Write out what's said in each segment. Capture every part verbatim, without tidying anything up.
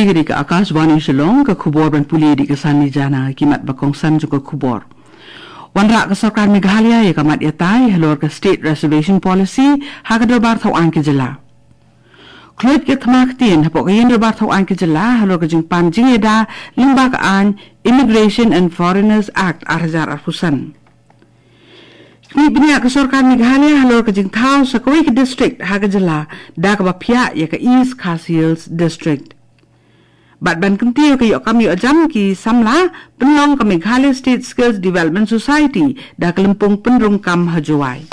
Kane ka Akashvani Shillong, ka khubor ban pule da ka Sanni Jana. Ki mat ba kongsan jong ka khubor. Wanrah ka sorkar Meghalaya ïa ka mat ïatai halor ka State Reservation Policy ha ka dorbar thaw aiñ ka jylla. Khluid ka thma ktien hapoh ka ïing dorbar thaw aiñ ka jylla halor ka jingpan jingïada lyngba ka aiñ Immigration and Foreigners Act ar hajar arphew san. Khmih bniah ka sorkar Meghalaya halor ka jingthaw sa kawei ka district ha ka jylla da kaba phiah ïa ka East Khasi Hills District. Bad ban kyntiew ka ïoh kam ïoh jam ki samla, pynlong ka Meghalaya State Skills Development Society da ka lympung pynrung kam ha Jowai.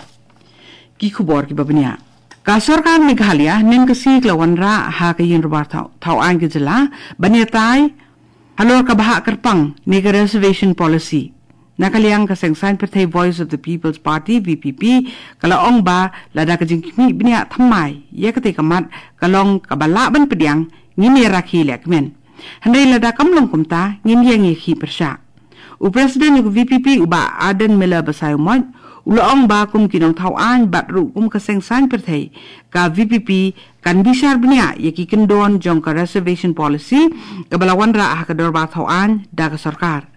Ki khubor kiba bniah. Ka sorkar Meghalaya hynnin ka sngi ka la wanrah ha ka ïing dorbar thaw, thaw aiñ ka jylla ban ïatai halor ka bhah kyrpang ne ka reservation policy. Na ka liang ka seng saiñ pyrthei Voice of the People's Party, V P P, ka la ong ba lada ka jingkhmih bniah thymmai ïa katei ka mat ka long kaba lah ban pdiang, ngin ïa rakhe lehkmen. Hynrei lada kam long kumta, ngin ïeng ïakhih pyrshah. U President u V P P u Bah Ardent Miller Basaiawmoit u la ong ba kum ki nongthaw aiñ bad ruh kum ka seng saiñ pyrthei, ka V P P kan bishar bniah ïa ki kyndon jong ka reservation policy kaba la wanrah ha ka dorbar thaw aiñ da ka sorkar.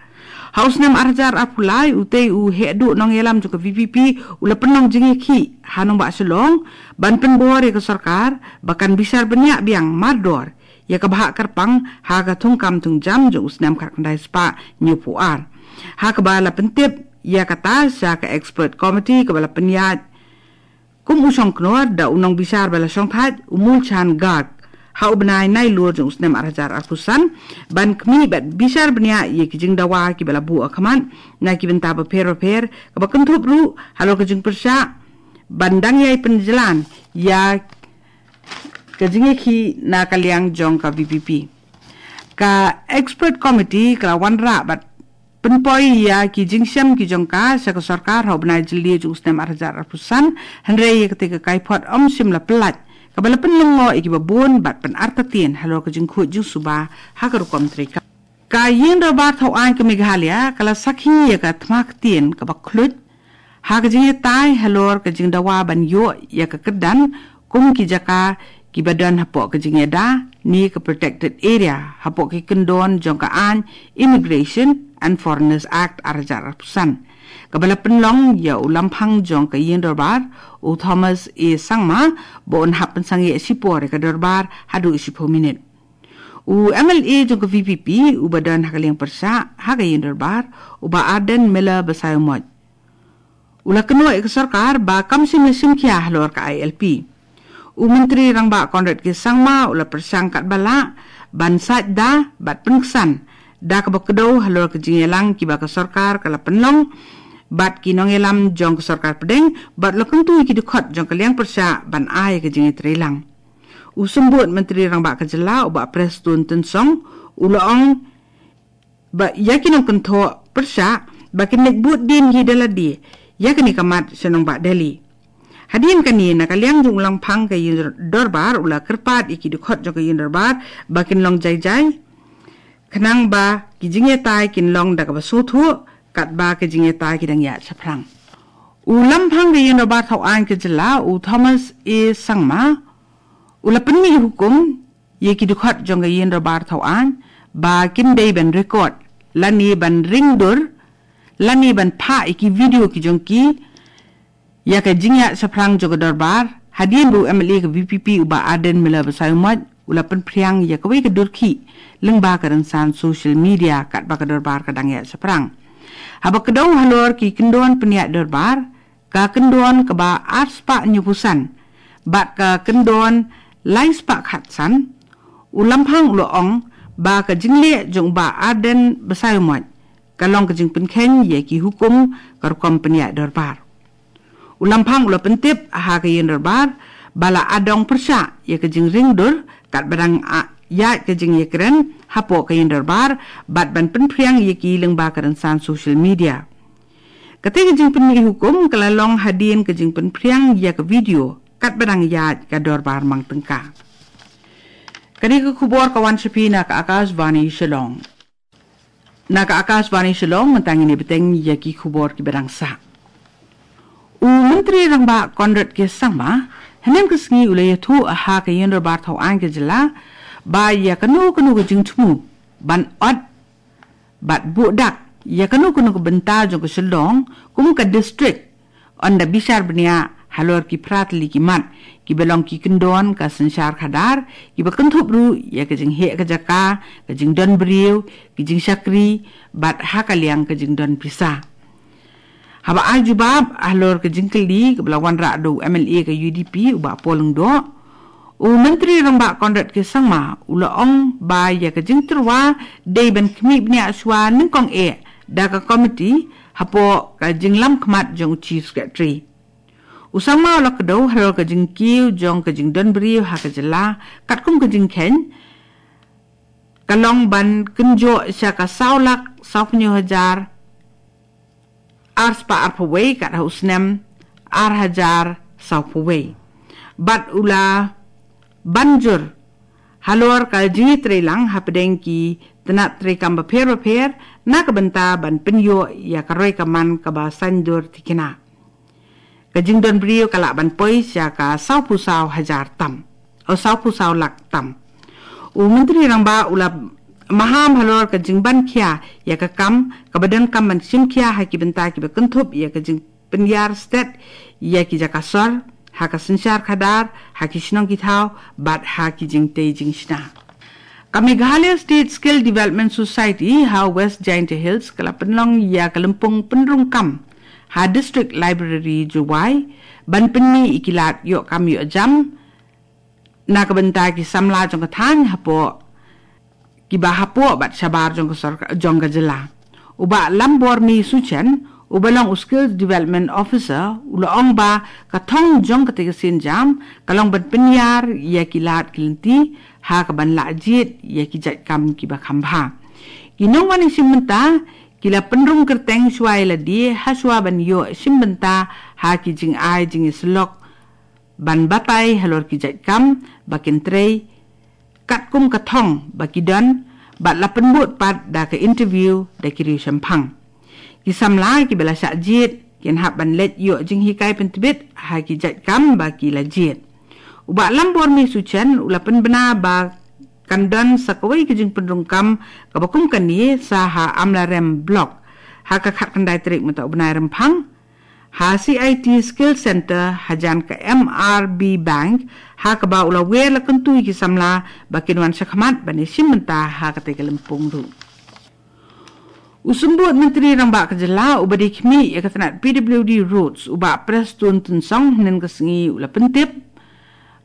Ha u snem ar hajar arphew lai, utei u heh duh nongïalam jong ka V P P u la pynlong jingïakhih ha nongbah Shillong ban pynbor ïa ka sorkar ba kan bishar bniah biang mardor ïa ka bhah kyrpang ha ka thungkam thungjam jong u snem khatkhyndai spah hynñiewphew ar. Ha kaba la pyntip ïa kata sha ka expert committee kaba la pynïaid kum u shongknor da u nongbishar ba la shongthait u Moolchand Garg ha u bnai Nailur jong u snem ar hajar arphew san ban khmih bad bishar bniah ïa ki jingdawa kiba la buh ha khmat na ki bynta bapher bapher, kaba kynthup ruh halor ka jingpyrshah ban dang ïai pynjlan ïa ka jingïakhih na ka liang jong ka V P P. Ka expert committee ka la wanrah bad pynpoi ïa ki jingshem ki jong ka sha ka sorkar ha u bnai Jylliew jong u snem ar hajar arphew san, hynrei ïa katei ka kaiphod ym shym la pyllait, kaba la pynlyngngoh ïa kiba bun bad pynartatien halor ka jingkhuid jingsuba ha ka rukom treikam. Ka ïing dorbar thaw aiñ ka Meghalaya ka la sakhi ïa ka thma ktien kaba khluid ha ka jingïatai halor ka jingdawa ban ïoh ïa ka kyrdan kum ki jaka kiba don hapoh ka jingïada ne ka protected area hapoh ki kyndon jong ka aiñ Immigration and Foreigners Act ar hajar arphew san, kaba la pynlong ïa u lamphang jong ka ïing dorbar, u Thomas A Sangma, ba un hap pynsangeh shipor ïa ka dorbar haduh shiphew minit. U M L A jong ka V P P uba don ha ka liang pyrshah ha ka ïing dorbar, u Bah Ardent Miller Basaiawmoit, u la kynnoh ïa ka sorkar ba kam shym la shim khia halor ka I L P. U Myntri Rangbah Conrad K Sangma u la pyrshang katba lah ban saitda bad pynksan da kaba kdew halor ka jingïalang kiba ka sorkar ka la pynlong bad ki nongïalam jong ka sorkar pdeng, bad u la kyntu ïa ki dkhot jong ka liang pyrshah ban ai ïa ka jingïatreilang. U Symbud Myntri Rangbah ka jylla, u Bah Prestone Tynsong, u la ong ba ïa ki nongkynthoh pyrshah ba kin leit bud dien hi da lade ïa kane ka mat sha nongbah Delhi. Hadien kane, na ka liang jong u lamphang ka ïing dorbar u la kyrpad ïa ki dkhot jong ka ïing dorbar ba kin long jai jai, khnang ba ki jingïatai kin long da kaba sngewthuh katba ki jingïatai ki dang ïaid shaphrang. U lamphang ka ïing dorbar thaw aiñ ka jylla, u Thomas A Sangma, u la pynmih hukum ïa ki dkhot jong ka ïing dorbar thaw aiñ ba kin dei ban record lane ban ring dur lane ban phah ïa ki video ki jong ki ïa ka jingïaid shaphrang jong ka dorbar, hadien ba u M L A ka V P P u Bah Ardent Miller Basaiawmoit u la pynphriang ïa kawei ka dur khih lyngba ka rynsan social media katba ka dorbar ka dang ïaid shaphrang. Haba kdew halor ki kyndon pynïaid dorbar, ka kyndon kaba ar spah hynñiewphew san bad ka kyndon lai spah khatsan, u lamphang u la ong ba ka jingleh jong u Bah Ardent Basaiawmoit ka long ka jingpynkheiñ ïa ki hukum ka rukom pynïaid dorbar. U lamphang u la pyntip ha ka ïing dorbar ba la adong pyrshah ïa ka jingring dur katba dang ïaid ka jingïakren hapoh ka ïing dorbar bad ban pynphriang ïa ki lyngba ka rynsan social media. Katei ka jingpynmih hukum ka la long hadien ka jingpynphriang ïa ka video katba dang ïaid ka dorbar mang tyngka. Kane ka khubor ka wan sha phi na ka Akashvani Shillong. Na ka Akashvani Shillong, mynta ngin ïa bteng ïa ki khubor kiba dang sah. U Myntri Rangbah Conrad K Sangma hynne ka sngi u la ïathuh ha ka ïing dorbar thaw aiñ ka jylla ba ïa kano kano ka jingthmu ban ot bad buh dak ïa kano kano ka bynta jong ka shyllong kum ka district, ynda bishar bniah halor ki phra tylli ki mat kiba long ki kyndon ka synshar khadar, kiba kynthup ruh ïa ka jingheh ka jaka, ka jingdon briew, ki jingshakri bad ha ka liang ka jingdon pisa. Haba ai jubab halor ka jingkylli kaba la wanrah da u M L A ka U D P, u Bah Paul Lyngdoh, u Myntri Rangbah Conrad K Sangma u la ong ba ïa ka jingtyrwa dei ban khmih bniah shuwa nyngkong eh da ka komiti hapoh ka jinglam khmat jong u Chief Secretary. U Sangma u la kdew halor ka jingkiew jong ka jingdon briew ha ka jylla, katkum ka jingkheiñ ka long ban kynjoh sha ka saw lak saw phew hajar ar spah ar phew wei kat ha u snem ar hajar saw phew wei. Bad u la ban jur halor ka jingïatreilang hapdeng ki tnat treikam bapher bapher na ka bynta ban pynïoh ïa ka roi ka man kaba saiñdur thikna. Ka jingdon briew ka lah ban poi sha ka saw phew saw hajar tam, o saw phew saw lak tam. U Myntri Rangbah u la maham halor ka jingban khia ïa ka kam kaba donkam ban shim khia ha ki bynta kiba kynthup ïa ka jingpynïar stet ïa ki jaka sor ha ka synshar khadar, ha ki shnong ki thaw bad ha ki jingtei jingshna. Ka Meghalaya State Skill Development Society ha West Jaintia Hills ka la pynlong ïa ka lympung pynrung kam ha District Library Jowai ban pynmih ïa ki lad ïoh kam ïoh jam na ka bynta ki samla jong ka thaiñ hapoh, kiba hapoh bad shabar jong ka sorkar jong ka jylla. U Bah Lambormi Suchen, uba long u Skills Development Officer, u la ong ba ka thong jong katei ka sienjam ka long ban pynïar ïa ki lad ki lynti ha kaban lah jied ïa ki jait kam kiba kham bha. Ki nongwan ïashim bynta ki la pynrung kyrteng shuwa ïa lade ha shuwa ban ïoh shim bynta ha ki jingai jingïasyllok ban batai halor ki jait kam ba kin trei katkum ka thong ba ki don, bad la pynbud pat da ka interview da ki riewshemphang. Ki samla kiba la shah jied kin hap ban leit ïoh jinghikai pyntbit ha ki jait kam ba ki la jied. U Bah Lambormi Suchen u la pynbna ba kan don sa kawei ka jingpynrung kam kaba kum kane sa ha Amlarem Block ha ka khatkhyndai tarik mynta u bnai Rymphang, ha C I T Skill Center hajan ka M R B Bank, ha kaba u la wer la kyntu ïa ki samla ba kin wan shakhmat ban ïashim bynta ha katei ka lympung ruh. U Symbud Myntri Rangbah ka jylla uba dei khmih ïa ka tnat P W D Roads, u Bah Prestone Tynsong, hynnin ka sngi u la pyntip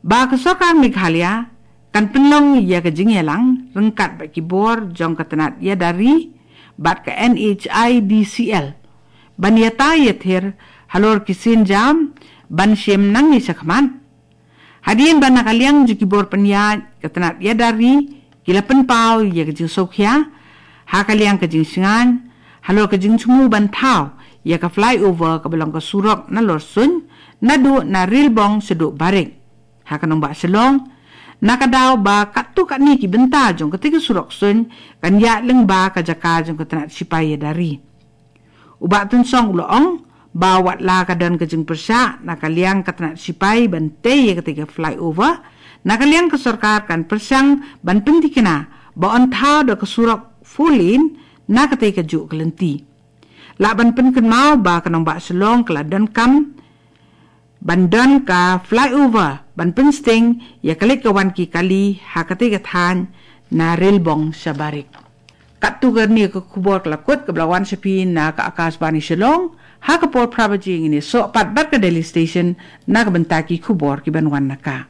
ba ka sorkar Meghalaya kan pynlong ïa ka jingïalang ryngkat bad ki bor jong ka tnat ïada ri bad ka N H I D C L ban ïatai ïathir halor ki sienjam ban shim nangne shakhmat. Hadien ba na ka liang jong ki bor pynïaid ka tnat ïada ri ki la pynpaw ïa ka jingsngewkhia ha ka liang ka jingshngaiñ halor ka jingthmu ban thaw ïa ka flyover kaba long ka surok nalor suiñ, naduh na Rilbong shaduh Barik ha ka nongbah Shillong, na ka daw ba katto katne ki bynta jong katei ka surok suiñ kan ïaid lyngba ka jaka jong ka tnat shipai ïada ri. U Bah Tynsong u la ong ba watla ka don ka jingpyrshah na ka liang ka tnat shipai ban tei ïa katei ka flyover, na ka liang ka sorkar kan pyrshang ban pynthikna ba yn thaw da ka surok four lane na katei kajuh ka lynti. Lah ban pynkynmaw ba ka nongbah Shillong ka la donkam ban don ka flyover ban pynsting ïa ka leit ka wan ki kali ha katei ka thaiñ na Rilbong sha Barik. Katto katne ka khubor ka la kut kaba la wan sha phi na ka Akashvani Shillong, ha ka por phra baje ngin ïasoh pat bad ka Delhi Station na ka bynta ki khubor kiban wan na ka